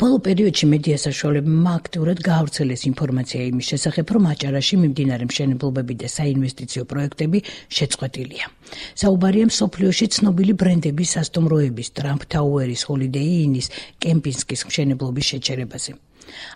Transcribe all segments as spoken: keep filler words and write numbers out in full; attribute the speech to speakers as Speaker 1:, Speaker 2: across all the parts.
Speaker 1: ბოლო პერიოდში მედია საშუალებებმა აქტიურად გაავრცელეს ინფორმაცია იმის შესახებ, რომ აჭარაში მიმდინარე მშენებლობები და საინვესტიციო პროექტები შეწყვეტილია. საუბარია მსოფლიოში ცნობილი ბრენდების სასტუმროების, Trump Tower-ის, Holiday Inn-ის, კემპინსკის მშენებლობის შეჩერებაზე.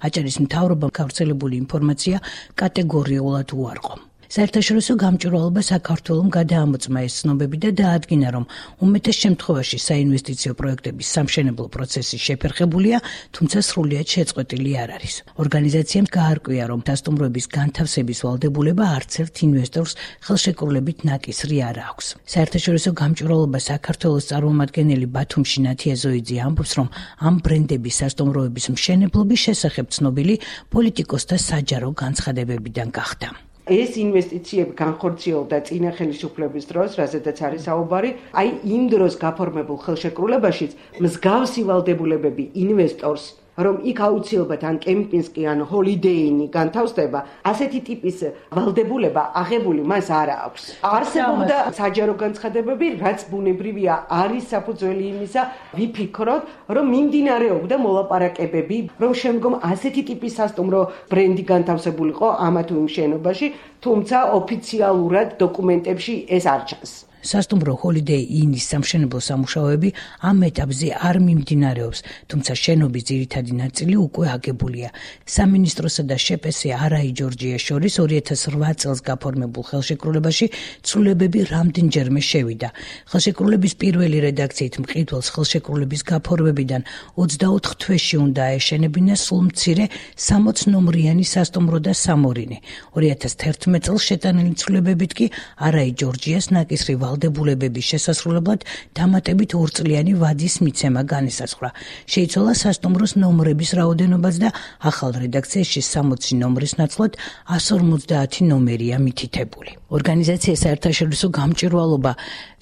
Speaker 1: აჭარის მთავრობამ გავრცელებული ინფორმაცია კატეგორიულად უარყო. საერთაშორისო გამჭვირვალობა საქართველომ გადაამოწმა ეს ცნობები და დაადგინა, რომ უმეტეს შემთხვევაში საინვესტიციო პროექტების სამშენებლო პროცესი შეფერხებულია, თუმცა სრულიად შეწყვეტილი არ არის. ორგანიზაციამ გაარკვია, რომ სასტუმროების განთავსების ვალდებულება არც ერთ ინვესტორს ხელშეკრულებით ნაკისრი არ აქვს. საერთაშორისო გამჭვირვალობა საქართველოს წარმომადგენელი ბათუმში ნათია ზოიძე ამბობს, რომ ამ ბრენდების სასტუმროების მშენებლობის შესახებ ცნობილი პოლიტიკოსთა საჯარო განცხადებებიდან გახდა.
Speaker 2: ეს ინვესტიციები განხორციელდა წინა ხელისუფლების დროს, რაზედაც არის საუბარი, აი იმ დროს გაფორმებულ ხელშეკრულებაშიც მსგავსი ვალდებულებები ინვესტორს, რომ იქ აუცილებლად ან კემპინსკი ან Holiday Inn განთავსდება, ასეთი ტიპის ვალდებულება აღებული მას არ აქვს. არსებობდა საჯარო განცხადებები, რაც ბუნებრივია არის საფუძველი იმისა, ვიფიქროთ, რომ მიმდინარეობდა მოლაპარაკებები, რომ შემდგომ ასეთი ტიპის სასტუმრო ბრენდი განთავსებულიყო ამა თუ იმ შენობაში, თუმცა ოფიციალურად დოკუმენტებში ეს არ ჩანს.
Speaker 1: სასტუმრო Holiday Inn-ის სამშენებლო სამუშაოები ამ ეტაპზე არ მიმდინარეობს, თუმცა შენობის ძირითადი ნაწილი უკვე აგებულია. სამინისტროსა და შპს არაი ჯორჯიას შორის ორი ათას რვა წელს გაფორმებულ ხელშეკრულებაში ცვლილებები რამდენჯერმე შევიდა. ხელშეკრულების პირველი რედაქციით მყიდველს ხელშეკრულების გაფორმებიდან ოცდაოთხ თვეში უნდა აეშენებინა სულ მცირე სამოც ნომრიანი სასტუმრო და სამორინი. ორი ათას თერთმეტ წელს შეტანილი ცვლილებებით კი არაი ჯორჯიას ნაკისრი ვალდებულებების შესასრულებლად დამატებით ორწლიანი ვადის მიცემა განისაზღვრა. შეიცვალა სასტუმროს ნომრების რაოდენობაც და ახალ რედაქციაში სამოცი ნომრის ნაცვლად εκατს ორმოცდაათი ნომერია მითითებული. ორგანიზაცია საერთაშორისო გამჭვირვალობა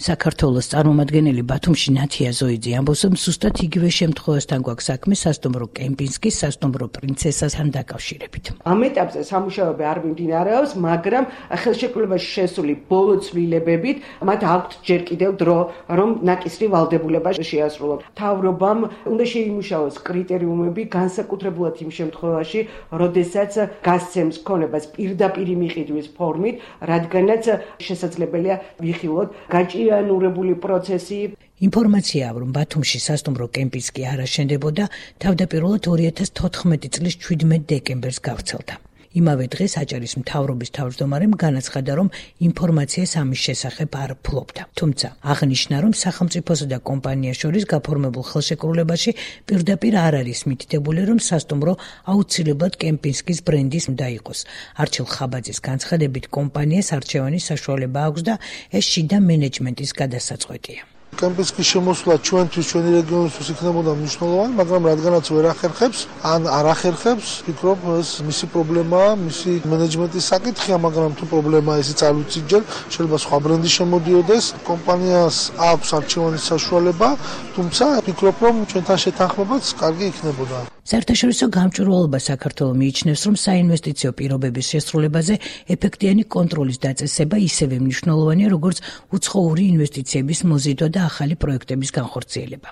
Speaker 1: საქართველოს წარმომადგენელი ბათუმში ნათია ზოიძე ამბობს, რომ ზუსტად იგივე შემთხვევასთან გვაქვს საქმე სასტუმრო კემპინსკის, სასტუმრო პრინცესასთან დაკავშირებით.
Speaker 2: ამ ეტაპზე სამუშაოები არ მიმდინარეობს, მაგრამ ხელშეკრულებაში შესული ბოლო ცვლილებებით მათ აქვთ ჯერ კიდევ დრო, რომ ნაკისრი ვალდებულება შეასრულოს. მთავრობამ უნდა შეიმუშაოს კრიტერიუმები განსაკუთრებულად იმ შემთხვევაში, როდესაც გასცემს ქონებას პირდაპირ მიყიდვის ფორმით, რადგანაც შესაძლებელია ვიხილოთ გაჭიანურებული პროცესი.
Speaker 1: ინფორმაციაა, რომ ბათუმში სასტუმრო კემპინსკი არ აშენდებოდა, თავდაპირველად ორი ათას თოთხმეტი წლის ჩვიდმეტ დეკემბერს გავრცელდა. იმავე დღეს აჭარის მთავრობის თავმჯდომარემ განაცხადა, რომ ინფორმაციას ამის შესახებ არ ფლობდა. თუმცა აღნიშნა, რომ სახელმწიფოსა და კომპანიას შორის გაფორმებულ ხელშეკრულებაში პირდაპირ არ არის მითითებული, რომ სასტუმრო აუცილებლად კემპინსკის ბრენდის უნდა იყოს. არჩილ ხაბაძის განცხადებით, კომპანიას არჩევანის საშუალება აქვს და ეს შიდა მენეჯმენტის გადასაწყვეტია.
Speaker 3: კემპინსკის შემოსვლა ჩვენთვის, ჩვენი რეგიონისთვის იქნებოდა მნიშვნელოვანი, მაგრამ რადგანაც ვერ ახერხებს, ან არ ახერხებს, ვფიქრობ, ეს მისი პრობლემაა, მისი მენეჯმენტის საკითხია, მაგრამ თუ პრობლემაა, ისიც არ ვიცით ჯერ, შეიძლება სხვა ბრენდი შემოდიოდეს, კომპანიას აქვს არჩევანის საშუალება, თუმცა ვფიქრობ, რომ ჩვენთან შეთანხმებაც კარგი იქნებოდა.
Speaker 1: საერთაშორისო გამჭვირვალობა საქართველოს მიიჩნევს, რომ საინვესტიციო პირობების შესრულებაზე ეფექტიანი კონტროლის დაწესება ისევე მნიშვნელოვანია, როგორც უცხოური ინვესტიციების მოზიდვა და ახალი პროექტების განხორციელება.